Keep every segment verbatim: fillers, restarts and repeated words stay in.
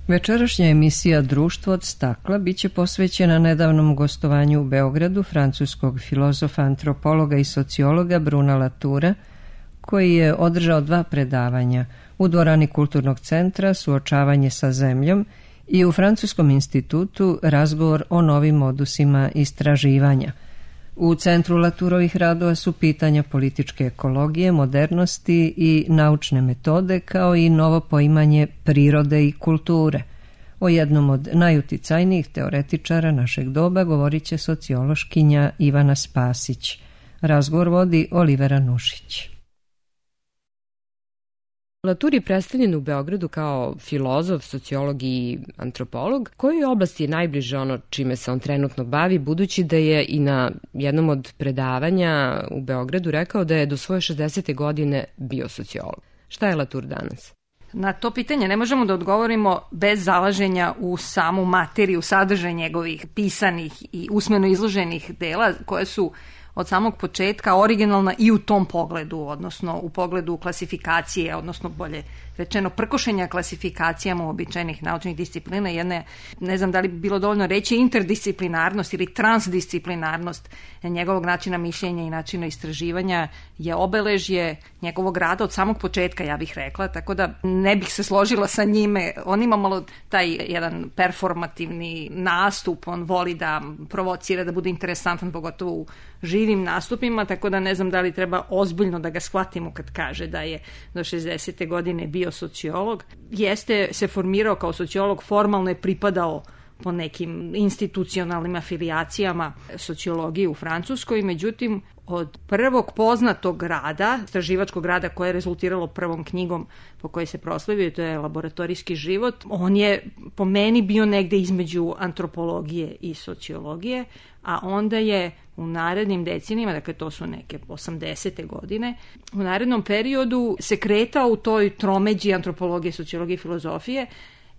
Večerašnja emisija Društvo od stakla biće posvećena nedavnom gostovanju u Beogradu francuskog filozofa, antropologa i sociologa Bruna Latura, koji je održao dva predavanja u dvorani Kulturnog centra Suočavanje sa zemljom i u Francuskom institutu Razgovor o novim modusima istraživanja. U centru Laturovih radova su pitanja političke ekologije, modernosti i naučne metode, kao i novo poimanje prirode i kulture. O jednom od najuticajnijih teoretičara našeg doba govorit će sociološkinja Ivana Spasić. Razgovor vodi Olivera Nušić. Latour je predstavljen u Beogradu kao filozof, sociolog i antropolog. Kojoj oblasti je najbliže ono čime se on trenutno bavi, budući da je i na jednom od predavanja u Beogradu rekao da je do svoje šezdesete godine bio sociolog. Šta je Latour danas? Na to pitanje ne možemo da odgovorimo bez zalaženja u samu materiju, sadržaj njegovih pisanih i usmeno izloženih dela, koje su od samog početka originalna i u tom pogledu, odnosno u pogledu klasifikacije, odnosno bolje rečeno prkošenja klasifikacijama uobičajenih naučnih disciplina. Jedne, ne znam da li bi bilo dovoljno reći, interdisciplinarnost ili transdisciplinarnost njegovog načina mišljenja i načina istraživanja je obeležje njegovog rada od samog početka, ja bih rekla, tako da ne bih se složila sa njime. On ima malo taj jedan performativni nastup, on voli da provocira, da bude interesantan, pogotovo u živim nastupima, tako da ne znam da li treba ozbiljno da ga shvatimo kad kaže da je do šezdesete godine bio sociolog. Jeste se formirao kao sociolog, formalno je pripadao po nekim institucionalnim afilijacijama sociologije u Francuskoj, međutim od prvog poznatog rada, istraživačkog rada koje je rezultiralo prvom knjigom po kojoj se proslavio, to je Laboratorijski život, on je po meni bio negde između antropologije i sociologije, a onda je u narednim decenijama, dakle to su neke osamdesete godine, u narednom periodu se kretao u toj tromeđi antropologije, sociologije i filozofije.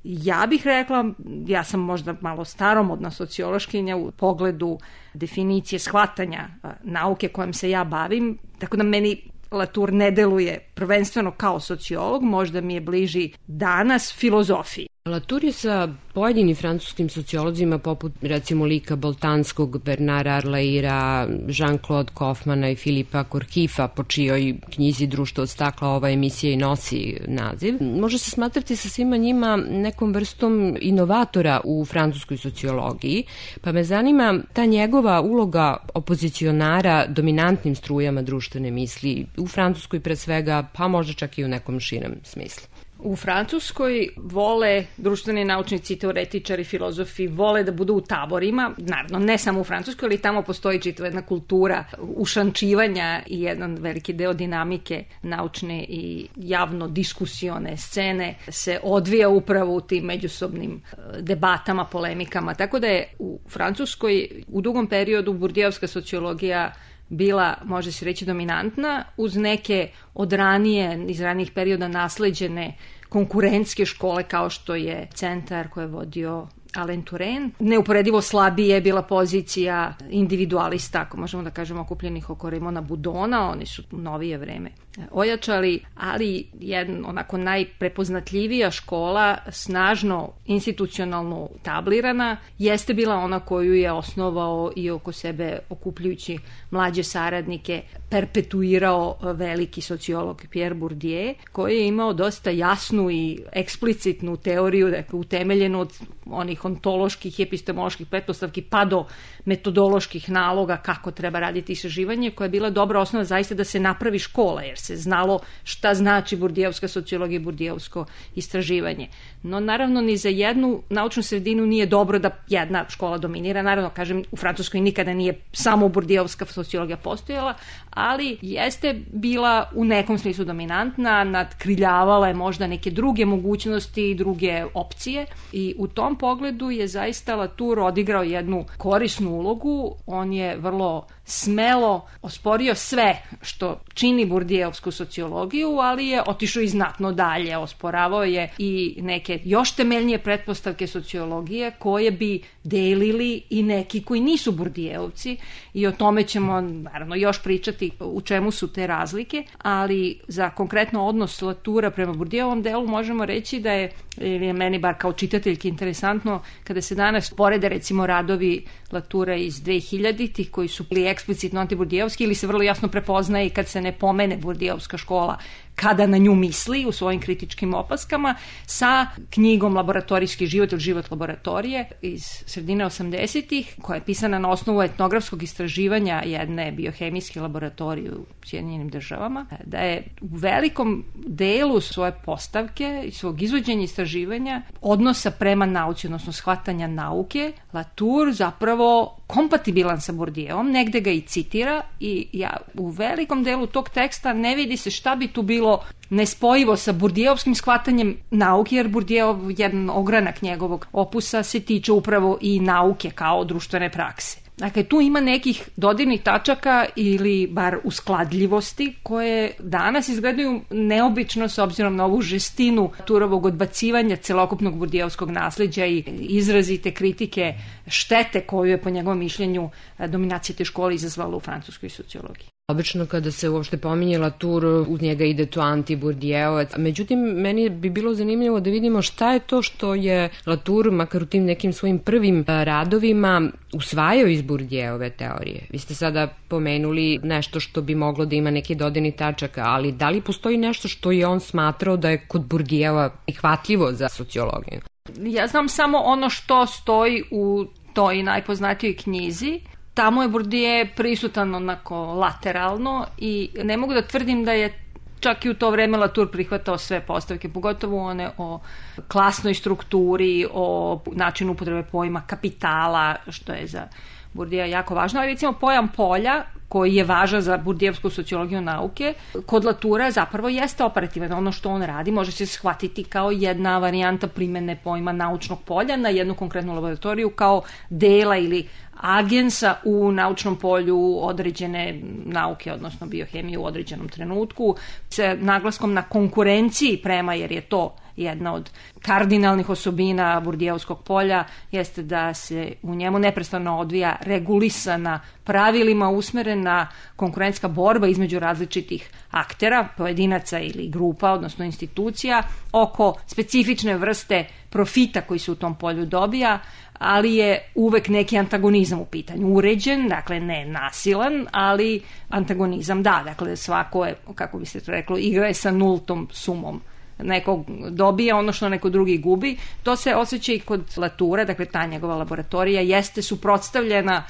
Ja bih rekla, ja sam možda malo staromodna sociološkinja u pogledu definicije shvatanja nauke kojom se ja bavim, tako da meni Latour ne deluje prvenstveno kao sociolog, možda mi je bliži danas filozofiji. Latour je sa pojedinim francuskim sociolozima poput recimo lika Boltanskog, Bernara Arlaira, Jean-Claude Kaufmana i Filipa Korkifa, po čijoj knjizi Društvo od stakla ova emisija i nosi naziv. Može se smatrati sa svima njima nekom vrstom inovatora u francuskoj sociologiji, pa me zanima ta njegova uloga opozicionara dominantnim strujama društvene misli u Francuskoj pre svega, pa možda čak i u nekom širem smislu. U Francuskoj vole društveni naučnici, teoretičari, filozofi, vole da budu u taborima, naravno ne samo u Francuskoj, ali tamo postoji čitava jedna kultura ušančivanja i jedan veliki deo dinamike naučne i javno diskusione scene se odvija upravo u tim međusobnim debatama, polemikama, tako da je u Francuskoj u dugom periodu burdijevska sociologija bila, može se reći, dominantna, uz neke od ranije, iz ranijih perioda nasleđene konkurentske škole kao što je centar koji je vodio Alain Touraine. Neuporedivo slabije je bila pozicija individualista, ako možemo da kažemo, okupljenih oko Raymona Boudona, oni su u novije vreme ojačali, ali jedna onako najprepoznatljivija škola, snažno institucionalno tablirana, jeste bila ona koju je osnovao i oko sebe okupljujući mlađe saradnike, perpetuirao veliki sociolog Pierre Bourdieu, koji je imao dosta jasnu i eksplicitnu teoriju, dakle utemeljenu od onih ontoloških i epistemoloških pretpostavki pa do metodoloških naloga kako treba raditi istraživanje, koja je bila dobra osnova zaista da se napravi škola, jer se znalo šta znači burdijevska sociologija i burdijevsko istraživanje. No naravno ni za jednu naučnu sredinu nije dobro da jedna škola dominira. Naravno, kažem, u Francuskoj nikada nije samo burdijevska sociologija postojala, ali jeste bila u nekom smislu dominantna, nadkriljavala je možda neke druge mogućnosti i druge opcije i u tom pogledu je zaista Latour odigrao jednu korisnu ulogu. On je vrlo smelo osporio sve što čini burdijevsku burdijevsku sociologiju, ali je otišao i znatno dalje, osporavao je i neke još temeljnije pretpostavke sociologije koje bi delili i neki koji nisu burdijevci, i o tome ćemo naravno još pričati u čemu su te razlike, ali za konkretno odnos Latura prema Bourdieuovom delu možemo reći da je, je meni bar kao čitateljki interesantno kada se danas porede recimo radovi Latura iz dvehiljaditih koji su bili eksplicitno antiburdijevski ili se vrlo jasno prepoznaje i kad se ne pomene burdijevska škola kada na nju misli u svojim kritičkim opaskama, sa knjigom Laboratorijski život ili život laboratorije iz sredine osamdesetih, koja je pisana na osnovu etnografskog istraživanja jedne biohemijske laboratorije u Sjedinjenim državama, da je u velikom delu svoje postavke i svog izvođenja istraživanja odnosa prema nauci, odnosno shvatanja nauke, Latour zapravo kompatibilan sa Bourdievom, negde ga i citira, i ja u velikom delu tog teksta ne vidi se šta bi tu bilo nespojivo sa Bourdieuovskim shvatanjem nauke, jer Bourdieu, jedan ogranak njegovog opusa, se tiče upravo i nauke kao društvene prakse. Dakle, tu ima nekih dodirnih tačaka ili bar uskladljivosti koje danas izgledaju neobično s obzirom na ovu žestinu Turovog odbacivanja celokupnog Bourdieuovskog nasleđa i izrazite kritike štete koju je po njegovom mišljenju dominacija te škole izazvala u francuskoj sociologiji. Obično kada se uopšte pominje Latour, uz njega ide to anti-Bourdieovac. Međutim, meni bi bilo zanimljivo da vidimo šta je to što je Latour, makar u tim nekim svojim prvim radovima, usvajao iz Bourdieuove teorije. Vi ste sada pomenuli nešto što bi moglo da ima neki dodirni tačak, ali da li postoji nešto što je on smatrao da je kod Bourdieuova prihvatljivo za sociologiju? Ja znam samo ono što stoji u toj najpoznatijoj knjizi. Tamo je Bourdieu prisutan onako lateralno i ne mogu da tvrdim da je čak i u to vreme Latour prihvatao sve postavke, pogotovo one o klasnoj strukturi, o načinu upotrebe pojma kapitala, što je za Bourdieu jako važno, ali recimo pojam polja, koji je važan za Bourdieuovsku sociologiju nauke, kod Latoura zapravo jeste operativan. Ono što on radi može se shvatiti kao jedna varijanta primene pojma naučnog polja na jednu konkretnu laboratoriju kao dela ili agensa u naučnom polju određene nauke, odnosno biohemije u određenom trenutku, sa naglaskom na konkurenciji prema, jer je to jedna od kardinalnih osobina Bourdieuovskog polja, jeste da se u njemu neprestano odvija regulisana pravilima usmerena konkurentska borba između različitih aktera, pojedinaca ili grupa, odnosno institucija, oko specifične vrste profita koji se u tom polju dobija, ali je uvek neki antagonizam u pitanju. Uređen, dakle ne nasilan, ali antagonizam da, dakle svako je, kako bi se to reklo, igra je sa nultom sumom. Neko dobija ono što neko drugi gubi. To se osjeća i kod Latoura, dakle ta njegova laboratorija jeste suprotstavljena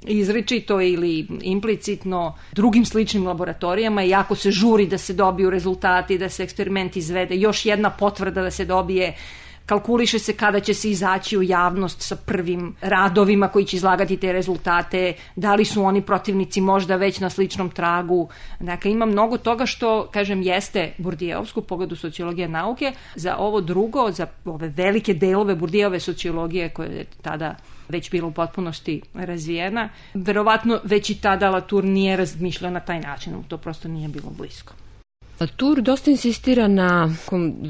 izričito ili implicitno drugim sličnim laboratorijama, i jako se žuri da se dobiju rezultati, da se eksperiment izvede, još jedna potvrda da se dobije, kalkuliše se kada će se izaći u javnost sa prvim radovima koji će izlagati te rezultate, da li su oni protivnici možda već na sličnom tragu. Dakle, ima mnogo toga što, kažem, jeste Bourdieuovsku pogledu sociologije nauke. Za ovo drugo, za ove velike delove Bourdieuove sociologije koje je tada već bila u potpunosti razvijena, verovatno već i tada Latour nije razmišljao na taj način, to prosto nije bilo blisko. Latour dosta insistira na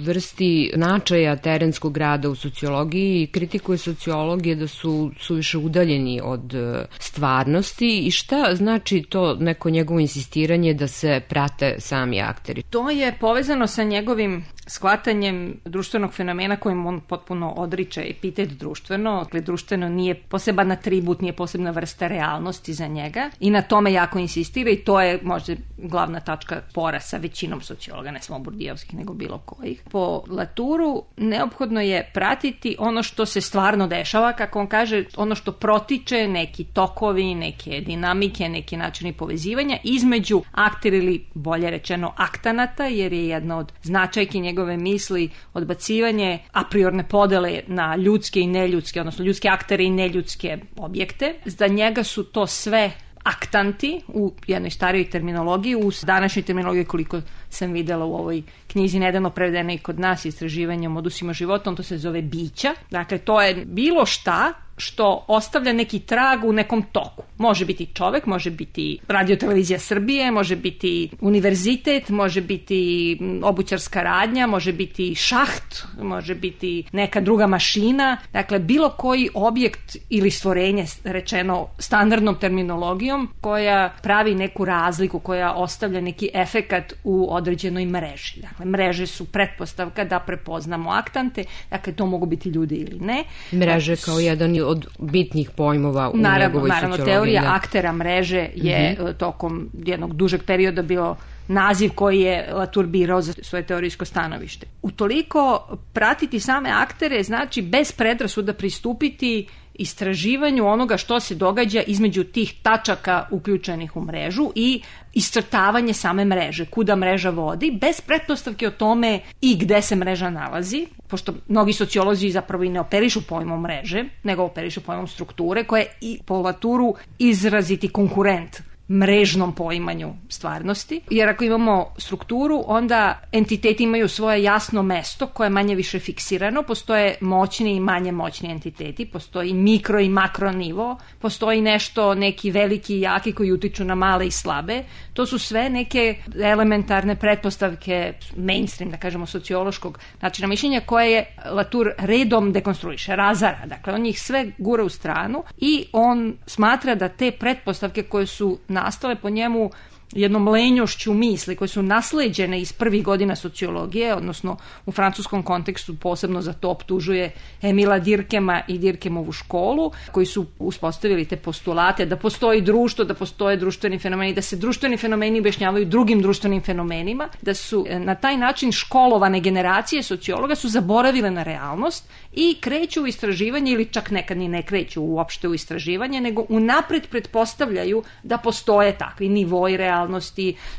vrsti značaja terenskog rada u sociologiji i kritikuje sociologije da su suviše udaljeni od stvarnosti. I šta znači to neko njegovo insistiranje da se prate sami akteri? To je povezano sa njegovim shvatanjem društvenog fenomena kojim on potpuno odriče epitet društveno. Dakle, društveno nije poseban atribut, nije posebna vrsta realnosti za njega i na tome jako insistira, i to je možda glavna tačka spora sa većinom sociologa, ne samo Bourdieuovskih, nego bilo kojih. Po Latouru neophodno je pratiti ono što se stvarno dešava, kako on kaže, ono što protiče, neki tokovi, neke dinamike, neki načini povezivanja između aktera ili bolje rečeno aktanata, jer je jedna od značajki njegove misli odbacivanje a priorne podele na ljudske i neljudske, odnosno ljudske aktere i neljudske objekte. Za njega su to sve aktanti u jednoj starijoj terminologiji, u današnjoj terminologiji koliko sam videla u ovoj knjizi nedavno prevedena i kod nas istraživanjem odusima života, on to se zove bića. Dakle, to je bilo šta što ostavlja neki trag u nekom toku. Može biti čovek, može biti Radio-televizija Srbije, može biti univerzitet, može biti obućarska radnja, može biti šaht, može biti neka druga mašina. Dakle, bilo koji objekt ili stvorenje, rečeno standardnom terminologijom, koja pravi neku razliku, koja ostavlja neki efekat u određenoj mreži. Dakle, mreže su pretpostavka da prepoznamo aktante, dakle, to mogu biti ljudi ili ne. Mreže kao jedan od bitnih pojmova u naravno, njegovoj naravno, sociologiji. Teorija da. aktera mreže je uh-huh. tokom jednog dužeg perioda bio naziv koji je Latour birao za svoje teorijsko stanovište. Utoliko pratiti same aktere znači bez predrasuda pristupiti istraživanju onoga što se događa između tih tačaka uključenih u mrežu i iscrtavanje same mreže, kuda mreža vodi, bez pretpostavke o tome i gde se mreža nalazi, pošto mnogi sociolozi zapravo i ne operišu pojmom mreže, nego operišu pojmom strukture, koja je i po Latouru izraziti konkurent mrežnom poimanju stvarnosti. Jer ako imamo strukturu, onda entiteti imaju svoje jasno mesto koje je manje više fiksirano, postoje moćni i manje moćni entiteti, postoji mikro i makro nivo, postoji nešto, neki veliki i jaki koji utiču na male i slabe. To su sve neke elementarne pretpostavke mainstream, da kažemo, sociološkog načina mišljenja koje je Latour redom dekonstruiše, razara. Dakle, on ih sve gura u stranu i on smatra da te pretpostavke koje su nastale po njemu jednom lenjošću misli koje su nasleđene iz prvih godina sociologije, odnosno u francuskom kontekstu posebno za to optužuje Emila Durkheima i Durkheimovu školu, koji su uspostavili te postulate da postoji društvo, da postoje društveni fenomeni, da se društveni fenomeni objašnjavaju drugim društvenim fenomenima, da su na taj način školovane generacije sociologa su zaboravile na realnost i kreću u istraživanje ili čak nekad ni ne kreću uopšte u istraživanje, nego unapred pretpostavljaju da postoje takvi nivoi realnosti,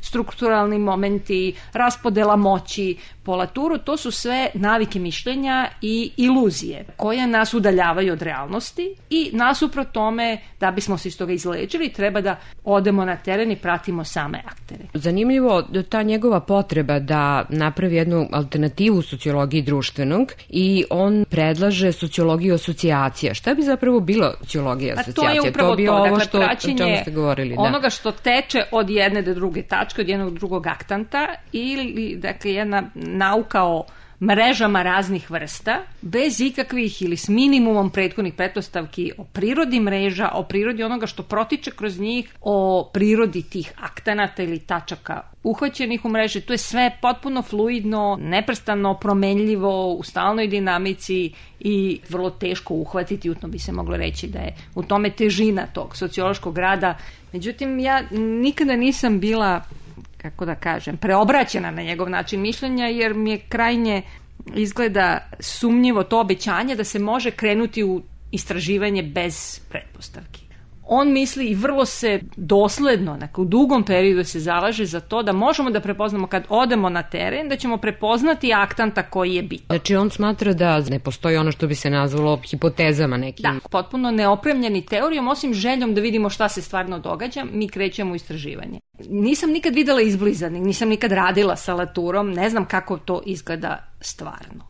strukturalni momenti, raspodela moći. Po Latouru to su sve navike mišljenja i iluzije koje nas udaljavaju od realnosti i nasuprot tome, da bismo se iz toga izlečili, treba da odemo na teren i pratimo same aktere. Zanimljivo ta njegova potreba da napravi jednu alternativu sociologiji društvenog i on predlaže sociologiju asocijacija. Šta bi zapravo bila sociologija asocijacija? A to je upravo to. Bi to, ovo dakle, što, praćenje ste govorili, da. onoga što teče od jedne do druge tačke, od jednog drugog aktanta ili, dakle, jedna nauka o mrežama raznih vrsta, bez ikakvih ili s minimumom prethodnih pretpostavki o prirodi mreža, o prirodi onoga što protiče kroz njih, o prirodi tih aktanata ili tačaka uhvaćenih u mreži. To je sve potpuno fluidno, neprestano promenljivo, u stalnoj dinamici i vrlo teško uhvatiti. Utno bi se moglo reći da je u tome težina tog sociološkog rada. Međutim, ja nikada nisam bila, kako da kažem, preobraćena na njegov način mišljenja, jer mi je krajnje izgleda sumnjivo to obećanje da se može krenuti u istraživanje bez pretpostavki. On misli i vrlo se dosledno, u dugom periodu se zalaže za to da možemo da prepoznamo kad odemo na teren, da ćemo prepoznati aktanta koji je bitan. Znači on smatra da ne postoji ono što bi se nazvalo hipotezama nekim. Da, potpuno neopremljeni teorijom, osim željom da vidimo šta se stvarno događa, mi krećemo u istraživanje. Nisam nikad videla izbliza, nisam nikad radila sa Latourom, ne znam kako to izgleda stvarno.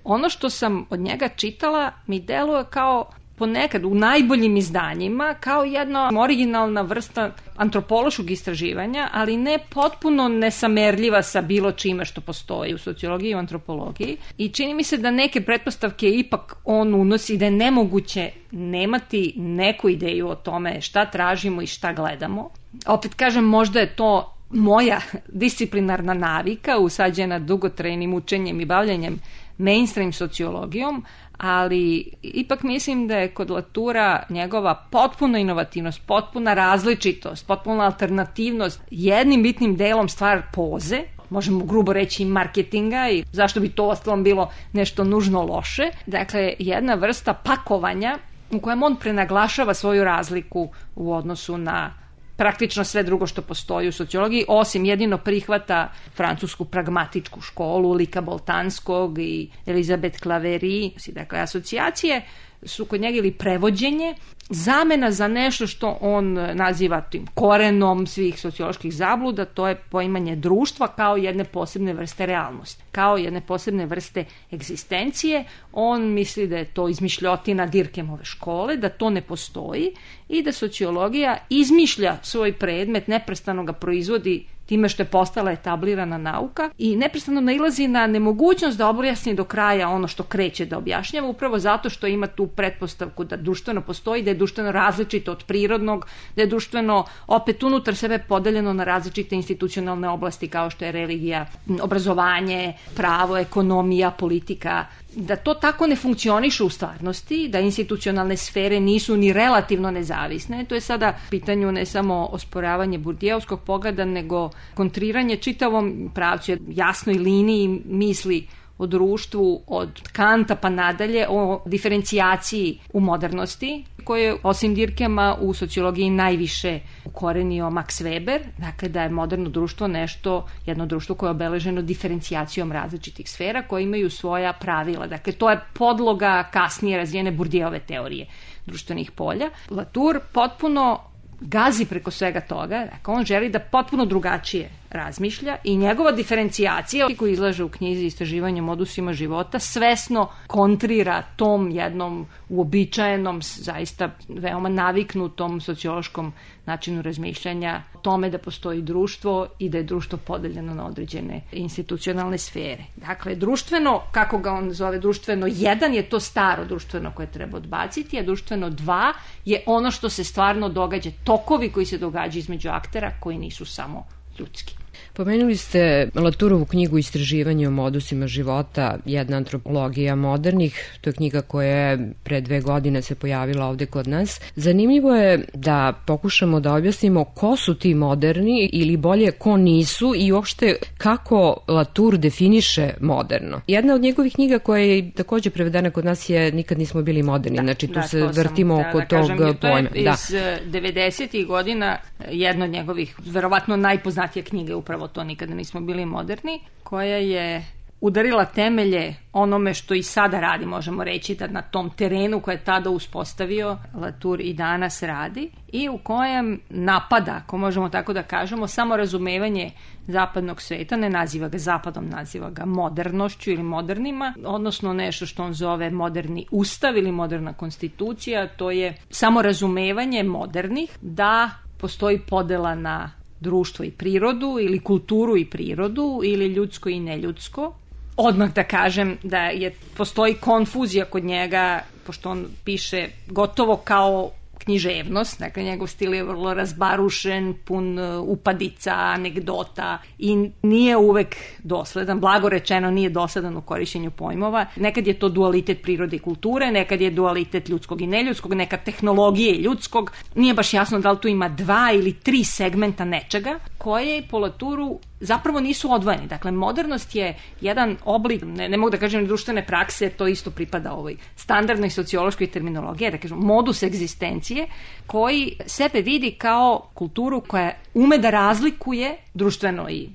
Ono što sam od njega čitala mi deluje kao ponekad u najboljim izdanjima kao jedna originalna vrsta antropološkog istraživanja, ali ne potpuno nesamerljiva sa bilo čime što postoji u sociologiji i u antropologiji. I čini mi se da neke pretpostavke ipak on unosi, da je nemoguće nemati neku ideju o tome šta tražimo i šta gledamo. Opet kažem, možda je to moja disciplinarna navika usađena dugotrajnim učenjem i bavljanjem mainstream sociologijom, ali ipak mislim da je kod Latoura njegova potpuna inovativnost, potpuna različitost, potpuna alternativnost jednim bitnim delom stvar poze, možemo grubo reći i marketinga, i zašto bi to ostalo bilo nešto nužno loše. Dakle, jedna vrsta pakovanja u kojem on prenaglašava svoju razliku u odnosu na praktično sve drugo što postoji u sociologiji, osim jedino prihvata francusku pragmatičku školu Lika Boltanskog i Elizabeth Claverie. Dakle, asocijacije su kod njega ili prevođenje, zamena za nešto što on naziva tim korenom svih socioloških zabluda, to je poimanje društva kao jedne posebne vrste realnosti, kao jedne posebne vrste egzistencije. On misli da je to izmišljotina Dirkemove škole, da to ne postoji i da sociologija izmišlja svoj predmet, neprestano ga proizvodi time što je postala etablirana nauka i neprestano nailazi na nemogućnost da objasni do kraja ono što kreće da objašnjava, upravo zato što ima tu pretpostavku da društveno postoji, da je društveno različito od prirodnog, da je društveno opet unutar sebe podeljeno na različite institucionalne oblasti kao što je religija, obrazovanje, pravo, ekonomija, politika, da to tako ne funkcioniše u stvarnosti, da institucionalne sfere nisu ni relativno nezavisne. To je sada pitanju ne samo osporavanje Burdijevskog pogleda, nego kontriranje čitavom pravcu, jasnoj liniji misli o društvu od Kanta pa nadalje, o diferencijaciji u modernosti, koje osim Dirkema u sociologiji najviše ukorenio Max Weber, dakle da je moderno društvo nešto, jedno društvo koje je obeleženo diferencijacijom različitih sfera koje imaju svoja pravila. Dakle, to je podloga kasnije razvijene Bourdieuove teorije društvenih polja. Latour potpuno gazi preko svega toga, dakle on želi da potpuno drugačije razmišlja i njegova diferencijacija koju izlaže u knjizi Istraživanje o modusima života svesno kontrira tom jednom uobičajenom, zaista veoma naviknutom sociološkom načinu razmišljanja o tome da postoji društvo i da je društvo podeljeno na određene institucionalne sfere. Dakle, društveno, kako ga on zove, društveno jedan je to staro društveno koje treba odbaciti, a društveno dva je ono što se stvarno događa, tokovi koji se događaju između aktera koji nisu samo ljudski. Pomenuli ste Latourovu knjigu Istraživanje o modusima života, jedna antropologija modernih. To je knjiga koja je pre dve godine se pojavila ovde kod nas. Zanimljivo je da pokušamo da objasnimo ko su ti moderni ili bolje ko nisu i uopšte kako Latour definiše moderno. Jedna od njegovih knjiga koja je takođe prevedena kod nas je Nikad nismo bili moderni. Da, znači tu da, se vrtimo sam, oko da, da tog kažem, pojma. To je iz da. devedesetih godina jedna od njegovih, verovatno najpoznatija knjiga je upravo to Nikada nismo bili moderni, koja je udarila temelje onome što i sada radi, možemo reći da na tom terenu koje je tada uspostavio Latour i danas radi i u kojem napada, ako možemo tako da kažemo, samo razumevanje zapadnog sveta, ne naziva ga zapadom, naziva ga modernošću ili modernima, odnosno nešto što on zove moderni ustav ili moderna konstitucija, to je samo razumevanje modernih da postoji podela na društvo i prirodu ili kulturu i prirodu ili ljudsko i neljudsko. Odmah da kažem da je postoji konfuzija kod njega, pošto on piše gotovo kao književnost, dakle njegov stil je vrlo razbarušen, pun upadica, anegdota i nije uvek dosledan, blago rečeno nije dosledan u korišćenju pojmova. Nekad je to dualitet prirode i kulture, nekad je dualitet ljudskog i neljudskog, nekad tehnologije i ljudskog. Nije baš jasno da li tu ima dva ili tri segmenta nečega koje po Latouru zapravo nisu odvojeni. Dakle, modernost je jedan oblik, ne, ne mogu da kažem društvene prakse, to isto pripada ovoj standardnoj sociološkoj terminologiji, da kažem modus egzistencije, koji sebe vidi kao kulturu koja ume da razlikuje društveno i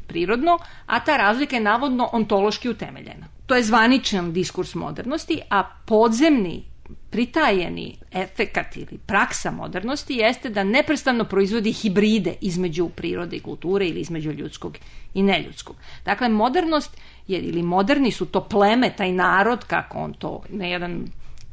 prirodno, a ta razlika je navodno ontološki utemeljena. To je zvaničan diskurs modernosti, a podzemni pritajeni efekat ili praksa modernosti jeste da neprestano proizvodi hibride između prirode i kulture ili između ljudskog i neljudskog. Dakle, modernost je, ili moderni su to pleme, taj narod, kako on to na jedan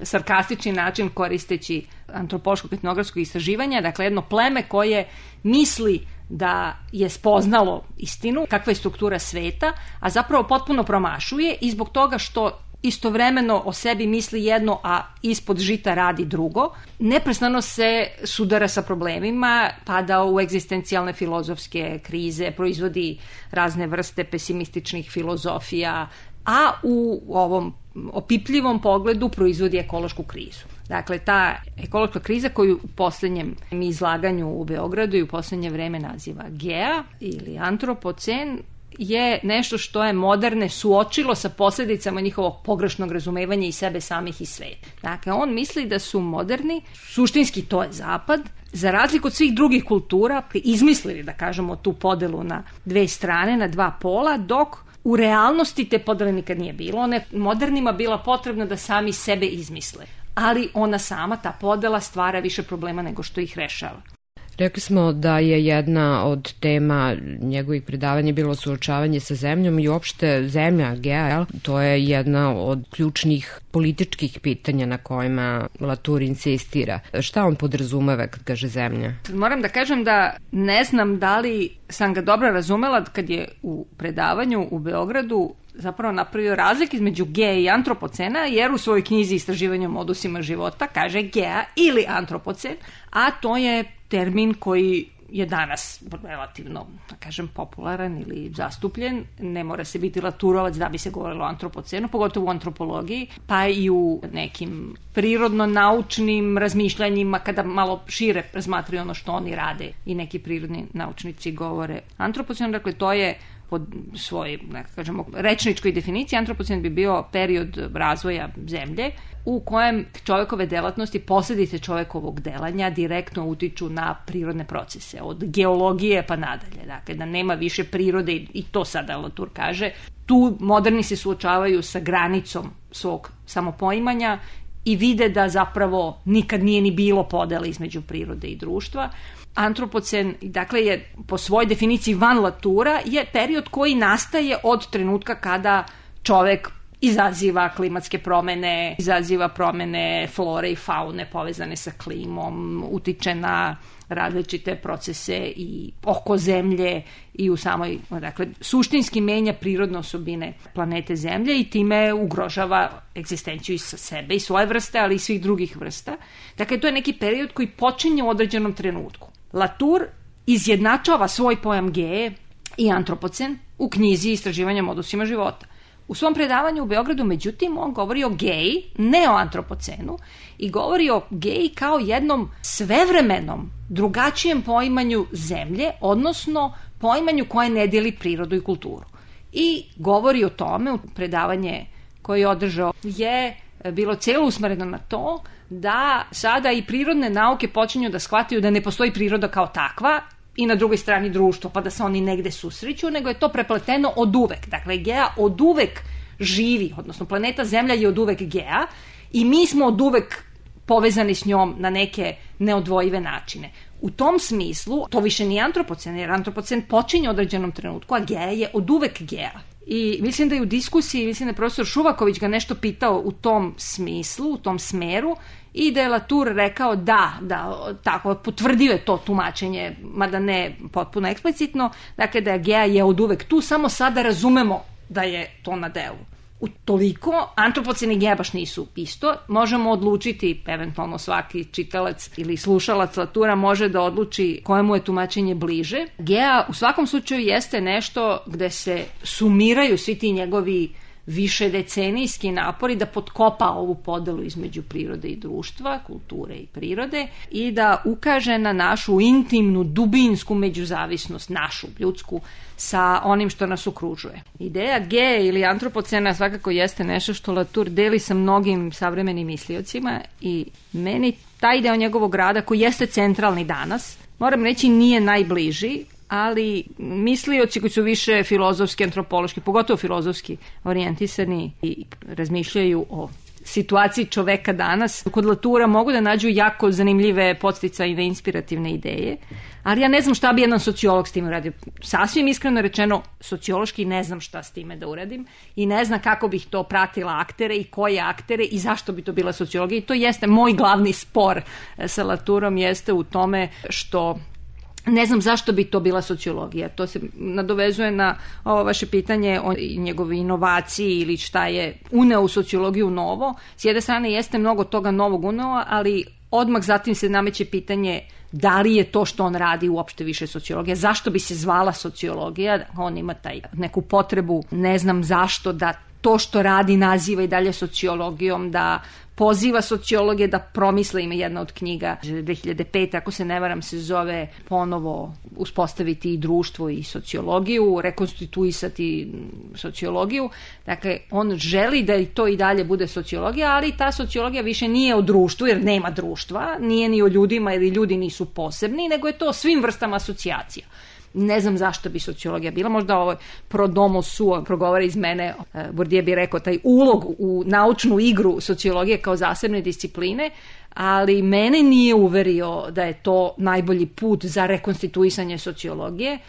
sarkastični način koristeći antropološkog etnografskog istraživanja, dakle jedno pleme koje misli da je spoznalo istinu, kakva je struktura sveta, a zapravo potpuno promašuje i zbog toga što istovremeno o sebi misli jedno, a ispod žita radi drugo, neprestano se sudara sa problemima, pada u egzistencijalne filozofske krize, proizvodi razne vrste pesimističnih filozofija, a u ovom opipljivom pogledu proizvodi ekološku krizu. Dakle, ta ekološka kriza koju u poslednjem izlaganju u Beogradu i u poslednje vreme naziva Gea ili antropocen, je nešto što je moderne suočilo sa posljedicama njihovog pogrešnog razumevanja i sebe samih i sveta. Dakle, on misli da su moderni, suštinski to je zapad, za razliku od svih drugih kultura, izmislili, da kažemo, tu podelu na dve strane, na dva pola, dok u realnosti te podele nikad nije bilo. One modernima bila potrebno da sami sebe izmisle. ali ona sama, ta podela, stvara više problema nego što ih rešava. Rekli smo da je jedna od tema njegovih predavanja bilo suočavanje sa zemljom i uopšte zemlja, Gea, to je jedna od ključnih političkih pitanja na kojima Latour insistira. Šta on podrazumeva kad kaže zemlja? Moram da kažem da ne znam da li sam ga dobro razumela kad je u predavanju u Beogradu zapravo napravio razlik između Gea i antropocena, jer u svojoj knjizi Istraživanje o modusima života kaže Gea ili antropocen, a to je termin koji je danas relativno, da kažem, popularan ili zastupljen. Ne mora se biti Laturovac da bi se govorilo o antropocenu, pogotovo u antropologiji, pa i u nekim prirodno-naučnim razmišljanjima, kada malo šire razmatraju ono što oni rade i neki prirodni naučnici govore antropocenu. Dakle, to je pod svojoj, da kažemo, rečničkoj definiciji, antropocen bi bio period razvoja zemlje u kojem čovekove delatnosti, posledice čovekovog delanja direktno utiču na prirodne procese, od geologije pa nadalje. Dakle, da nema više prirode, i to sada Latour kaže. Tu moderni se suočavaju sa granicom svog samopoimanja i vide da zapravo nikad nije ni bilo podela između prirode i društva. Antropocen, dakle, je po svojoj definiciji van Latoura, je period koji nastaje od trenutka kada čovek izaziva klimatske promene, izaziva promene flore i faune povezane sa klimom, utiče na različite procese i oko zemlje i u samoj, dakle, suštinski menja prirodne osobine planete Zemlje i time ugrožava egzistenciju i sa sebe i svoje vrste, ali i svih drugih vrsta. Dakle, to je neki period koji počinje u određenom trenutku. Latour izjednačava svoj pojam Gee i antropocen u knjizi Istraživanja o modusima života. U svom predavanju u Beogradu, međutim, on govori o Geji, ne o antropocenu, i govori o Geji kao jednom svevremenom, drugačijem poimanju zemlje, odnosno poimanju koje ne dijeli prirodu i kulturu. I govori o tome, u predavanje koje je održao, je bilo celo usmereno na to da sada i prirodne nauke počinju da shvataju da ne postoji priroda kao takva i na drugoj strani društvo, pa da se oni negde susreću, nego je to prepleteno od uvek. Dakle, Gea od uvek živi, odnosno planeta Zemlja je od uvek Gea i mi smo od uvek povezani s njom na neke neodvojive načine. U tom smislu, to više nije antropocen, jer antropocen počinje u određenom trenutku, a Gea je od uvek Gea. I mislim da je u diskusiji, mislim da je profesor Šuvaković ga nešto pitao u tom smislu, u tom smeru, i da je Latour rekao da, da, tako, potvrdio je to tumačenje, mada ne potpuno eksplicitno, dakle da je Gea je od uvek tu, samo sada razumemo da je to na delu. U toliko, antropocen i Gea baš nisu isto, možemo odlučiti, eventualno svaki čitalac ili slušalac Latoura može da odluči kojemu je tumačenje bliže. Gea u svakom slučaju jeste nešto gde se sumiraju svi ti njegovi više decenijski napori da potkopa ovu podelu između prirode i društva, kulture i prirode, i da ukaže na našu intimnu, dubinsku međuzavisnost, našu, ljudsku, sa onim što nas okružuje. Ideja Gee ili antropocena svakako jeste nešto što Latour deli sa mnogim savremenim misliocima i meni taj deo njegovog rada, koji jeste centralni danas, moram reći nije najbliži, ali mislioci koji su više filozofski, antropološki, pogotovo filozofski orijentisani i razmišljaju o situaciji čoveka danas, kod Latoura mogu da nađu jako zanimljive podsticajne inspirativne ideje, ali ja ne znam šta bi jedan sociolog s tim uradio. Sasvim iskreno rečeno, sociološki ne znam šta s time da uradim i ne znam kako bih to pratila aktere i koje aktere i zašto bi to bila sociologija. I to jeste moj glavni spor sa Latourom, jeste u tome što ne znam zašto bi to bila sociologija. To se nadovezuje na ovo vaše pitanje o njegovoj inovaciji ili šta je uneo u sociologiju novo. S jedne strane jeste mnogo toga novog uneo, ali odmah zatim se nameće pitanje da li je to što on radi uopšte više sociologija. Zašto bi se zvala sociologija? On ima taj neku potrebu, ne znam zašto, da to što radi naziva i dalje sociologijom, da poziva sociologe da promisle, ima jedna od knjiga dve hiljade pete, ako se ne varam, se zove ponovo uspostaviti i društvo i sociologiju, rekonstituisati sociologiju. Dakle, on želi da i to i dalje bude sociologija, ali ta sociologija više nije o društvu, jer nema društva, nije ni o ljudima, jer ljudi nisu posebni, nego je to o svim vrstama asocijacija. Ne znam zašto bi sociologija bila, možda ovo pro domo suo progovara iz mene, Bourdieu bi rekao taj ulog u naučnu igru sociologije kao zasebne discipline, ali mene nije uverio da je to najbolji put za rekonstituisanje sociologije.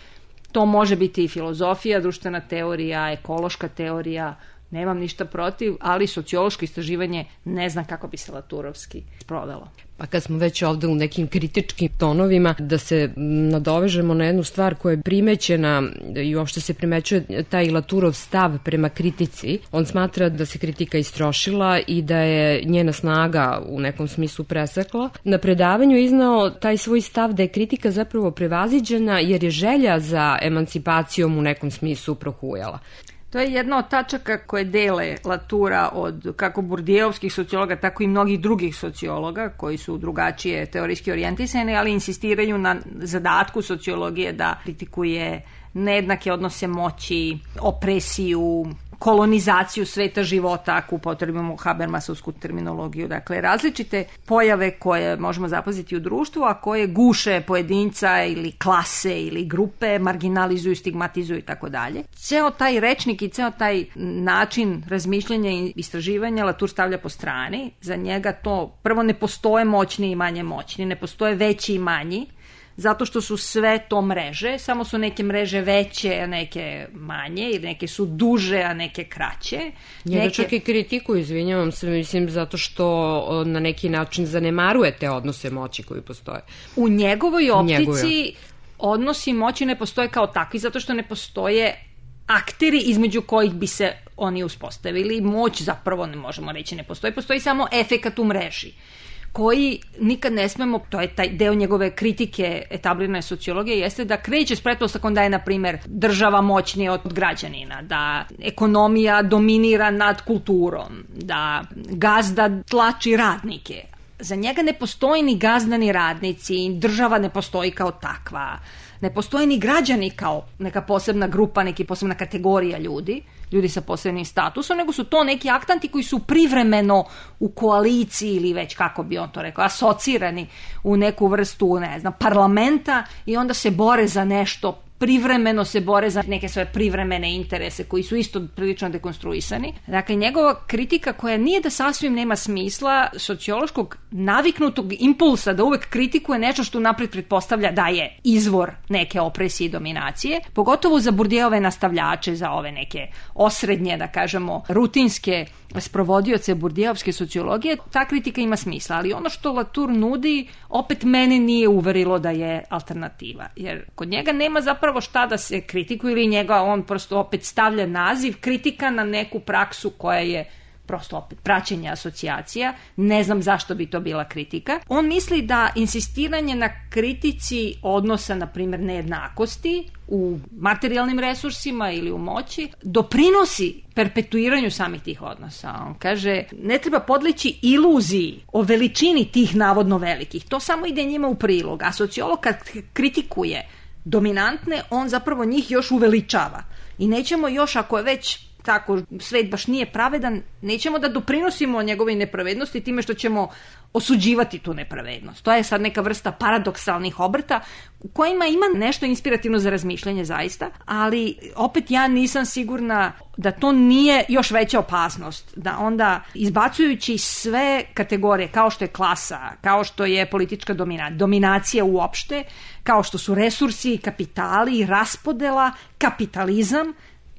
To može biti i filozofija, društvena teorija, ekološka teorija, nemam ništa protiv, ali sociološko istraživanje ne znam kako bi se laturovski sprovelo. Pa kad smo već ovde u nekim kritičkim tonovima, da se nadovežemo na jednu stvar koja je primećena i uopšte se primećuje taj Laturov stav prema kritici. On smatra da se kritika istrošila i da je njena snaga u nekom smislu presekla. Na predavanju je iznao taj svoj stav da je kritika zapravo prevaziđena jer je želja za emancipacijom u nekom smislu prohujala. To je jedna od tačaka koje dele Latura od kako Bourdieuovskih sociologa, tako i mnogih drugih sociologa koji su drugačije teorijski orijentisani, ali insistiraju na zadatku sociologije da kritikuje nejednake odnose moći, opresiju, kolonizaciju sveta života, ako upotrebimo Habermasovsku terminologiju. Dakle, različite pojave koje možemo zapaziti u društvu, a koje guše pojedinca ili klase ili grupe, marginalizuju, stigmatizuju i tako dalje. Ceo taj rečnik i ceo taj način razmišljanja i istraživanja Latour stavlja po strani. Za njega to prvo ne postoje moćni i manje moćni, ne postoje veći i manji, zato što su sve to mreže, samo su neke mreže veće, a neke manje, ili neke su duže, a neke kraće. Njega neke... čak i kritiku, izvinjavam se, mislim, zato što na neki način zanemaruje te odnose moći koji postoje. U njegovoj optici Njegove. odnosi moći ne postoje kao takvi, zato što ne postoje akteri između kojih bi se oni uspostavili. Moć zapravo ne možemo reći ne postoji, postoji samo efekat u mreži, koji nikad ne smemo, to je taj deo njegove kritike etablirane sociologije, jeste da kreće s pretpostavkom da je, na primjer, država moćnija od građanina, da ekonomija dominira nad kulturom, da gazda tlači radnike. Za njega ne postoji ni gazda ni radnici, država ne postoji kao takva, ne postoje ni građani kao neka posebna grupa, neka posebna kategorija ljudi, ljudi sa posebnim statusom, nego su to neki aktanti koji su privremeno u koaliciji ili već, kako bi on to rekao, asocirani u neku vrstu, ne znam, parlamenta i onda se bore za nešto, privremeno se bore za neke svoje privremene interese koji su isto prilično dekonstruisani. Dakle, njegova kritika koja nije da sasvim nema smisla, sociološkog naviknutog impulsa da uvek kritikuje nešto što napred pretpostavlja da je izvor neke opresije i dominacije, pogotovo za Bourdieuove nastavljače, za ove neke osrednje, da kažemo, rutinske sprovodioce Bourdieuovske sociologije, ta kritika ima smisla, ali ono što Latour nudi opet mene nije uverilo da je alternativa, jer kod njega nema zapravo šta da se kritikuje ili njega on prosto opet stavlja naziv kritika na neku praksu koja je prosto opet praćenje asocijacija, ne znam zašto bi to bila kritika. On misli da insistiranje na kritici odnosa, na primjer, nejednakosti u materijalnim resursima ili u moći doprinosi perpetuiranju samih tih odnosa. On kaže, ne treba podleći iluziji o veličini tih navodno velikih. To samo ide njima u prilog. A sociolog kad kritikuje dominantne, on zapravo njih još uveličava. I nećemo još, ako je već tako svet baš nije pravedan, nećemo da doprinosimo njegovoj nepravednosti time što ćemo osuđivati tu nepravednost. To je sad neka vrsta paradoksalnih obrta u kojima ima nešto inspirativno za razmišljanje zaista, ali opet ja nisam sigurna da to nije još veća opasnost, da onda izbacujući sve kategorije kao što je klasa, kao što je politička domina, dominacija uopšte, kao što su resursi, kapitali, raspodela, kapitalizam,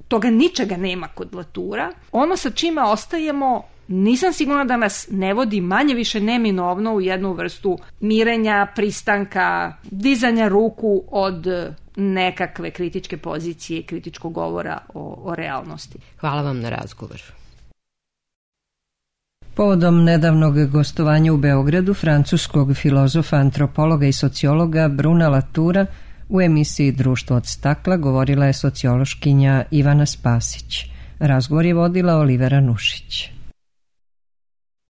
toga ničega nema kod Latoura. Ono sa čime ostajemo, nisam sigurna da nas ne vodi manje više neminovno u jednu vrstu mirenja, pristanka, dizanja ruku od nekakve kritičke pozicije, kritičkog govora o, o realnosti. Hvala vam na razgovor. Povodom nedavnog gostovanja u Beogradu francuskog filozofa, antropologa i sociologa Bruna Latoura u emisiji Društvo od stakla govorila je sociološkinja Ivana Spasić. Razgovor je vodila Olivera Nušić.